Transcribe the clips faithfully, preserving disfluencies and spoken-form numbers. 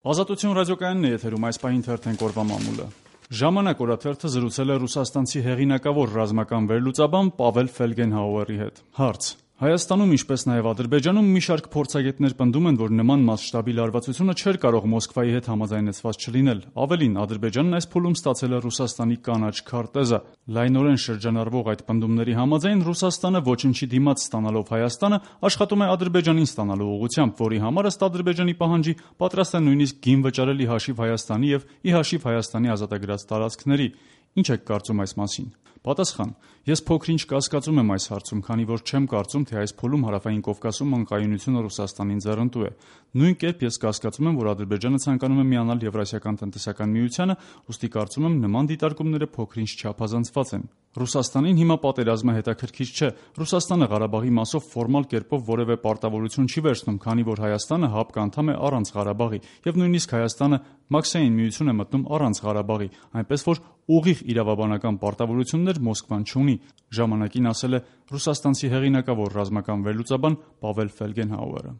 Ազատություն ռադիոկայանն է եթերում, այս պահին թերթենք օրվա մամուլը։ Ժամանակ օրաթերթը զրուցել է ռուսաստանցի հեղինակավոր ռազմական վերլուծաբան Պավել Ֆելգենհաուերի հետ։ Հարց. Հայաստանում, ինչպես նաև Ադրբեջանում, մի շարք փորձագետներ պնդում են, որ նման մասշտաբի լարվածությունը չէր կարող Մոսկվայի հետ համաձայնեցված չլինել։ Ավելին, Ադրբեջանն այս փուլում ստացել է Ռուսաստանի կանաչ քարտեզը։ Լայնորեն շրջանառվող այդ պնդումների համաձայն Ռուսաստանը ոչնչի դիմաց ստանալով Հայաստանը աշխատում է Ադրբեջանին ստանալու ուղղությամբ, որի համար ըստ Ադրբեջանի պահանջի պատրաստ է նույնիսկ գին վճարել ի հաշիվ Հայաստանի եւ ի հաշիվ Հայաստանի ազատագրած տարածքների։ Ինչ եք կարծում այս մասին։ Պատասխան. Ես փոքր-ինչ կասկածում եմ այս հարցում, քանի որ չեմ կարծում, թե այս փուլում Հարավային Կովկասում անկայունությունը Ռուսաստանին ձեռնտու է։ Նույն կերպ ես կասկածում եմ, որ Ադրբեջանը ցանկանում է միանալ Եվրասիական տնտեսական միությանը, ուստի կարծում եմ նման դիտարկումները փոքր-ինչ չափազանցված են։ Ռուսաստանին հիմա պատերազմը հետաքրքիր չէ։ Ռուսաստանը Ղարաբաղի մասով ֆորմալ կերպով որևէ պարտավորություն չի վերցնում, քանի որ Հայաստանը ՀԱՊԿ անդամ է առանց Ղարաբաղի, եւ նույնիսկ Հայաստանը Մաքսային միություն է մտնում առանց Ղարաբաղի, այնպես որ ուղիղ իրավաբանական պարտավորություններ Մոսկվան չունի, ժամանակին ասել է ռուսաստանցի հեղինակավոր ռազմական վերլուծաբան Պավել Ֆելգենհաուերը։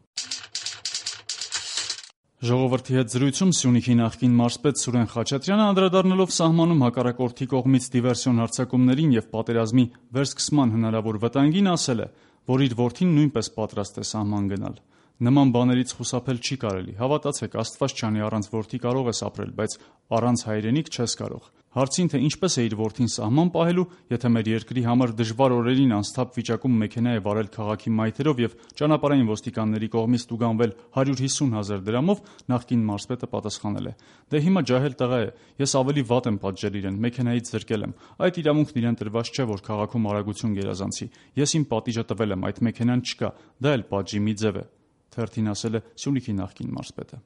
Ժողովրդի հետ զրույցում Սյունիքի նախկին մարզպետ Սուրեն Խաչատրյանը անդրադառնալով սահմանում հակառակորդի կողմից դիվերսիոն հարձակումներին եւ պատերազմի վերսկսման հնարավոր վտանգին ասել է, որ իր որդին նույնպես պատրաստ է սահման գնալ։ Նման բաներից խուսափել չի կարելի։ Հավատացեք, Աստված չանի, առանց որդի կարող ես ապրել, բայց առանց հայրենիք չես կարող։ Հարցին, թե ինչպես է իր որդին սահման պահելու, եթե մեր երկրի համար դժվար օրերին անսթափ վիճակում մեքենա է վարել քաղաքի մայթերով եւ ճանապարհային ոստիկանների կողմից տուգանվել հարյուր հիսուն հազար դրամով, նախկին մարզպետը պատասխանել է. Դե հիմա ջահել տղա է, ես ավելի վատ եմ պատժել իրեն, մեքենայից զրկել եմ։ Այդ իրավունքն իրեն տրված չէ, որ քաղաքում արագություն գերազանցի։ Ես իմ պատիժը տվել եմ, այդ մեքենան չկա, դա էլ պատժի մի ձև է, թերթին ասել է Սյունիքի նախկին մարզպետը։